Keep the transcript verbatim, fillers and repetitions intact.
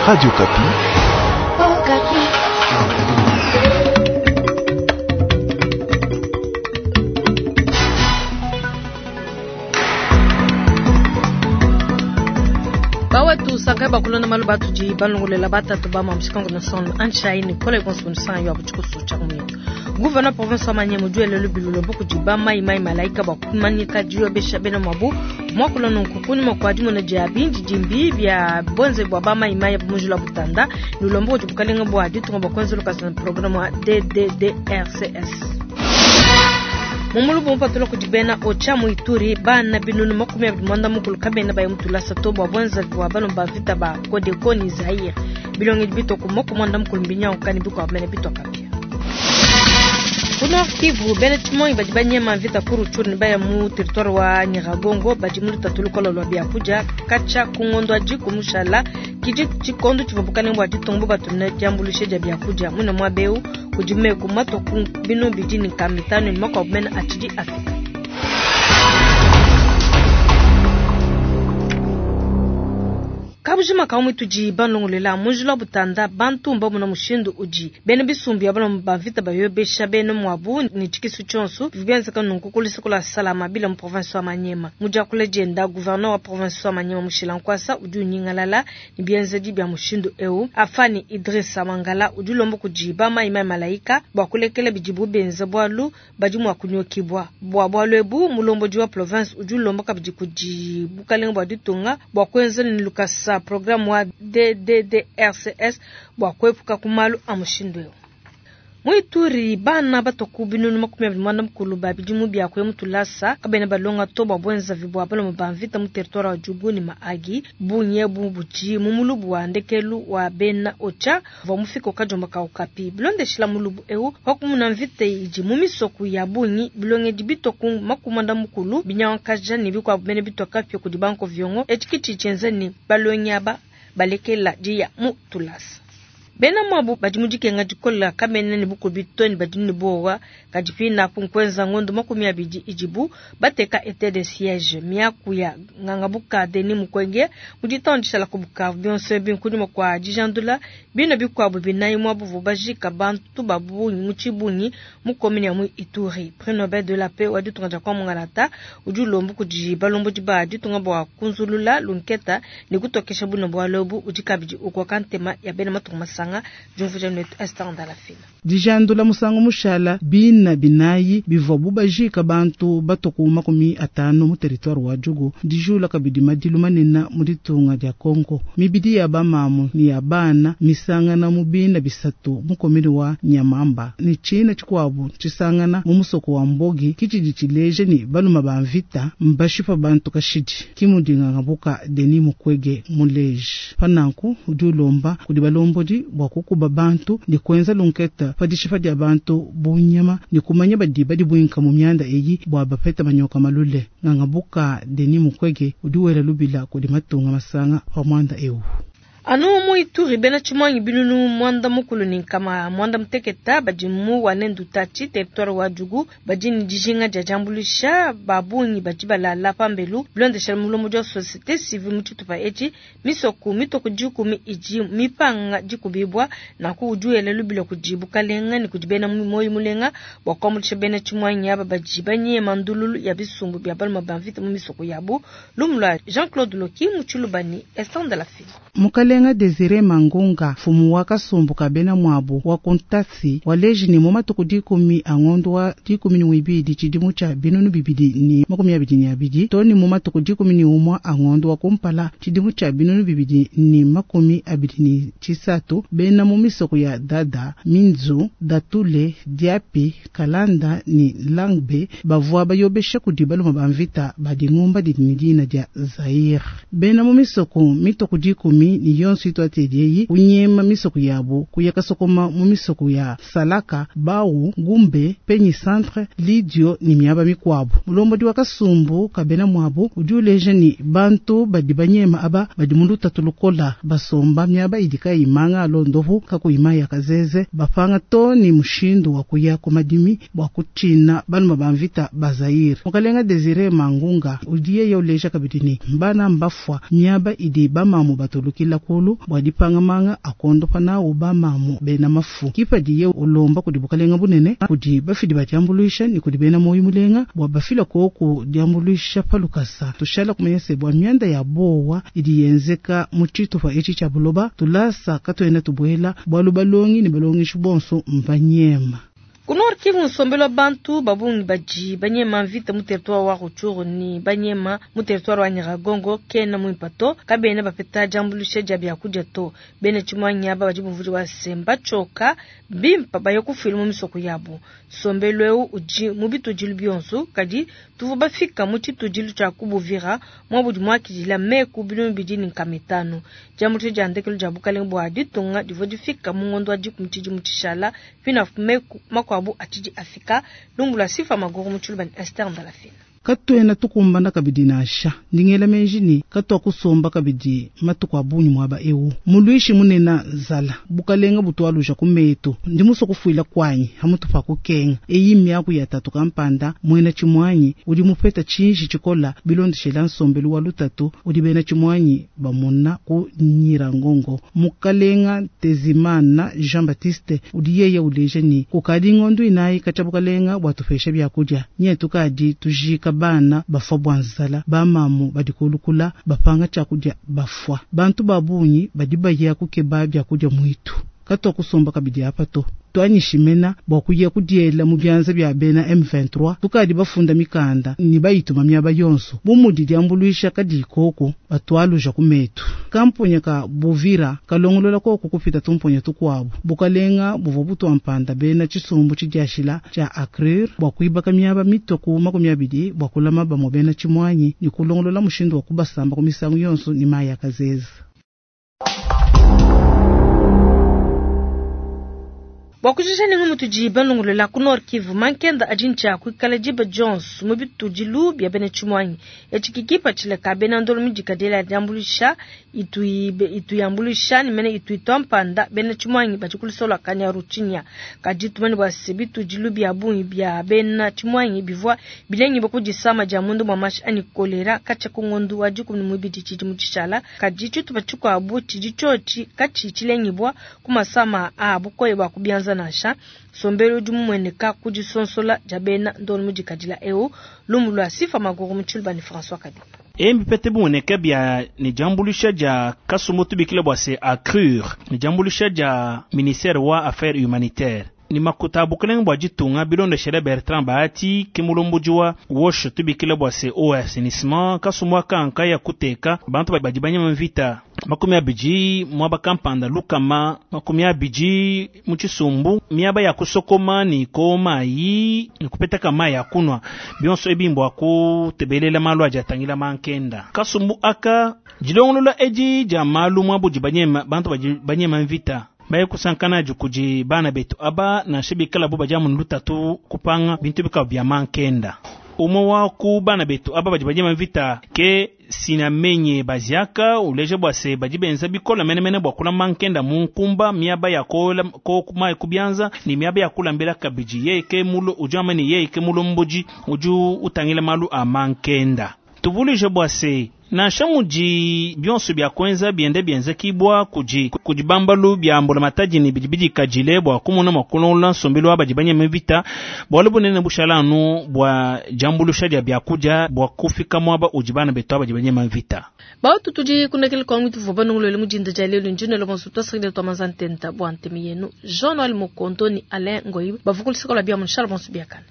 Radio Okapi. Oh, Okapi. Bawetu sankai bakulona malu batudi balongolela batatu ba mamushikango na sono anchai ni kole konso nsan yo abuchiko cha kumito gouverneur province wa Maniema duele lubilulo buku ba mai mai malaika ba kumanyika diyo besha bena mabu mwakulona nkukuni makwadi mona dia bindi dimbi bya bonze bwa ba mai mai bumujula butanda nulombo bukalenga bwa ditunga bakwenza lokasa programme wa DDDRCS mumulubu mupatula kudi bena ocha mu Ituri bana binunu makumi abidi mwanda mukulu kabena baye mutulasa to bwa bwenza bwa bano ba vita ba Codeco ni Zaire bilongi bitoku moko mwanda mukulu mbinyango kani biko amene bito kapia ku Nord Kivu bena tshimonyi badi banyema mvita ku Rutshuru ne baya mu territoire wa Nyiragongo badi mu lutatu lukolo lwa biakudia katshia ku ngondo adi kumushala kidi tshikondo tshivua bukalenge bua ditunga bubatumina diambuluisha dia biakudia mwina muaba eu kudi meku matua ku binu bidi ne nkama mitanu ne makuabu mene atshidi afika. Kabujima ka tudi balongolela munjila butanda bantu mbamuna mushindu udi bena bisumbu ya bana ba mvita bayobesha bena mwabu ni tshikisu tshionso bienzeka nunku kulisukula salama bila mu province wa Maniema mudiakula dienda gouverneur wa province wa Maniema Mushila Nkwasa udi unyingalala ni bienzedi bia mushindu eu afani Idrissa Mangala udi ulomba kudi ba mai mai malaika bua kulekela bidibu benza bualu badi mua kunyokibwa bua bualu ebu mulombodi wa province udi ulomba kabidi kudi bukalenga bua ditunga bua kuenza ni lukasa programme wa DDDRCS bua kuepuka ku malu a mushindu eu. Mu Ituri bana batoku binunu makumi abidi mwanda mukulu ba bidimu bia kuya mutulasa kabena balonga to bua bwenza vibua balomo ba mvita mu territoire wa Djugu ni Mahagi bunye bu budi mu mulubu wa ndekelu wa bena ocha vua mufika kajomba ka Okapi bilondeshila mulubu eu wakumuna mvita idi mu misoku ya bungi bilongedi bitoku makumi mwanda mukulu binyankaja ne bikuabu bene bitoka pia kudi banko viongo etshikiti tshienza ni balongi aba balekela diya mu tulasa. Bena mwabu badi mu dikenga dikola kamene ne bukubi to ne badi ne bowa kadi pina apu nkwenza ngondo makumi abidi idibu bateka etat de siège miaku ya ngangabuka Denis Mukwege mu ditandisha la ku Bukavu bionso ebi nkunyima kua dijandula bina bikuabu binayi mwabu vu bajika bantu ba bungi mu tshibungi mu commune ya mu Ituri prix Nobel de la paix wa ditunga dia kwa Mungalata udi ulomba kudi balombodi ba ditunga bua kunzulula lunketa ne kutokesha buna bua lobu udi kabidi ukoka ntema ya bena matunga masanga jumvuja netu Esther Ndalafina. Dijandula musangu mushala bina binayi bivua bubajika bantu batoku makumi atanu mu territoire wa Djugu dijula kabidi madilu manene mu ditunga dia Kongo mibidi ya bamamu ni ya bana misangana mu bina bisatu mu komini wa Nyamamba ni tshina tshikuabu tshisangana mu musoko wa Mbogi kitshidi tshileje ni baluma ba mvita mbashipa bantu kashidi kimudingangabuka Denis Mukwege muleje pananku udi ulomba kudi balombodi bua kukuba bantu ni kuenza lunketa padishipa dia bantu bunyama ni kumanya badi badi buinka mu mianda eyi bua bapeta manyoka malule ngangabuka Denis Mukwege udi wela lubila kudi matunga masanga pa muanda eu. Anu mu Ituri bena tshimanyi binunu mwanda mukulu ni nkama mwanda muteketa badi mu wanendu tachi territoire wa Djugu badi ni dijinga dia diambuluisha ba bungi badi balala pambelu bilondeshela mulomo dia société civile mu tshitupa etshi misoku mitoko dikumi idi mipanga dikubibwa nanku udi wela lubila kudi bukalenga ne kudi bena moyo mulenga bua kuambuluisha bena tshimanyi aba badi banyema ndululu ya bisumbu bia baluma ba mvita mu misoko yabu lumu lua Jean-Claude Loki mu Tshilubani Esther Ndalafina. Mukalenga Desire Mangunga fumu wa kasumbu ka bena mwabu wa kuntasi waleji ni mu matuku dikumi a ngondo wa dikumi ni wibidi tshidimu tshia binunu bibidi ni makumi abidi ni abidi to ni mu matuku dikumi ni umwa a ngondo wa kumpala tshidimu tshia binunu bibidi ni makumi abidi ni tshisatu bena mu misoko ya Dada Minzu Datule Diapi Kalanda ni Langbe bavua bayobesha kudi baluma ba mvita badi ngumba didi ni dina dia Zaire bena mu misoko mitoku dikumi ni yonso itwatedieyi kunyema misoko yabo kuyaka sokoma mu misoko ya Salaka Bau Gumbe Penyi Centre Lidio ni miaba mikuabu mulombodi wa kasumbu kabena mwabo udi uleja ni bantu badi banyema aba badi mu lutatu lukola basomba miaba idi kayimanga alondovu kakuyima ya kazeze bapanga to ni mushindu wa kuya ku madimi bua kutshina baluma ba mvita ba Zaire mukalenga Desire Mangunga udi yeye uleja kabidi ni bana mbafua miaba idi bamamu batulukila ku kulu bua dipanga manga a kondopa nawu ba mamu bena mafu. Kipadiye ulomba kudi bukalenga bunene, kudi bafidi ba diambuluisha ne kudi bena moyo mulenga bua bafila koku diambuluisha pa lukasa. Tushala kumanya se bua mianda ya bowa idi yenzeka mu tshitupa etshi tshia buloba tulasa katuena tubuela bualu balongi ne balongeshi bonso mbanyema. Ku Nord Kivu nsombelu wa bantu babungi badi banyema mvita mu territoire wa Rutshuru ni banyema mu territoire wa Nyiragongo kena muimpe to kabena bapeta diambuluisha dia biakudia to bena tshimuangi aba badi bumvudi wa semba tshioka bimpa baye kufuila mu misoko yabu. Nsombelu eu udi mu bitudilu bionso kadi tuvua bafika mu tshitudilu tshia kubuvira muabudi muakidila meku binunu bibidi ne nkama itanu. Diambuluisha dia ndekelu dia bukalenge bua ditunga divua difika mu ngondo wa dikumi tshidimu tshishala pinafu meku makuabu atshidi afika lumbula sifa maguru mu tshiluba ne Esther Ndalafina. Katuena tukumbana kabidi nansha ndingela menji ni katwa kusomba kabidi matuku a bungi mwaba ewu mulwishi munena nzala bukalenga butwaluja ku metu ndi muso kufuila kwanyi hamutu pa kukenga eyi miaku ya tatu kampanda mwena tshimwanyi udi mupeta tshinji tshikola bilondeshela nsombelu wa lutatu udi bena tshimwanyi bamona ku Nyirangongo. Mukalenga Tezimana Jean Baptiste udi yeye uleja ni kukadi ngondu inayi katshia bukalenga bwatupesha byakudia nye tukadi tujika bana bafwa bwa nzala bamamu badi kulukula bapanga tshakudya bafwa bantu babungi badi baya kukeba byakudia mwitu katwa kusomba kabidi apa to twanyishimena bwa kuya kudiela mu byanza bya bena M vingt-trois tukadi bafunda mikanda ni bayituma myaba yonso bumudi diambuluisha kadi koko batwaluja ku metu. Kamponya ka Buvira kalongolola koko kupita tumponya tukwabu bukalenga buvua butwampanda bena tshisumbu tshidiashila tshia ACRUR bwa kuibaka myaba mitoku makumi abidi bwa kulama bamwe bena tshimwanyi ni kulongolola mushindu wa kubasamba ku misangu yonso ni maya kazeza. Bwa kujisha ningu mutudi balongolola ku Nord Kivu mankenda adi ntshia kuikala diba dionso mu bitudilu bia bena tshimwanyi etshi kikipa tshileka bena ndolo midikadela diambuluisha ituyambuluisha ni mene ituitwa mpanda bena tshimwanyi badi kulisola Kanyaruchinya kadi tumani bua se bitudilu bia bungi bia bena tshimwanyi bivua bilengi bakudisama dia mundu mwa mashi ani kolera katshia ku ngondu wa dikumi ne muibidi tshidimu tshishala kadi tshitupa tshikuabu tshidi tshiotshi katshi tshilengibwa ku masama a bukoye bua kubianza nansha sombelo udi mumueneka kudisonsola dia bena ndolo mudikadila eu lumu lwa sifa maguru mu tshiluba ne François Kabi. Embi pete bumoneka bia ne diambuluisha dia kasumbu tubikila bua se ACRUR ne diambuluisha dia ministère wa affaires humanitaires ni makuta bukelenge bua ditunga bilondeshela Bertrand Bahati ke mulomboji wa WASH tubikila bua se eau assainissement kasumbu akanka ya kuteka bantu badi banyema mvita makumi abidi mwaba kampanda lukama makumi abidi mu tshisumbu miaba ya kusokoma ni komayi ni kupetaka mayi ya kunwa bionso ebimbo akutebelela malu aja atangila mankenda kasumbu aka dilongolola edi dia malu mwabudi banyema bantu badi banyema mvita baye kusankana kudi bana betu aba nansha bikala bo badia mu lutatu kupanga bintu bikaba bia mankenda umwe wa ku bana betu aba badi banyema mvita ke sinamenye baziaka uleje bwa se badi benza bikola menemene bwa kula mankenda mu nkumba miaba ya kola ko kuma kubyanza ni miaba ya kulambela kabiji yeye ke mulo ujama ni yeye ke mulomboji uju utangila malu a mankenda tuvulije bwa se nansha mudi bionso bya kwenza biende bienze kibwa kudi kudi bambalu bya mbola matadi ni bidi bidi kajile bwa kumona makulonla nsombelu abadi banyema vita bwalo bunene bushala anu bwa jambulusha dia byakudia bwa kufika mwaba udi bana betu abadi banyema vita. Bautu tudi kunekele kwa mwitu vuba nungulele mujinda ja lelo njino lo bonso twasakile twa mazantenta bwa ntemi yenu Jean Noël Mokonto ni Alain Ngoyi bavukulisikola bya munshala bonso byakana.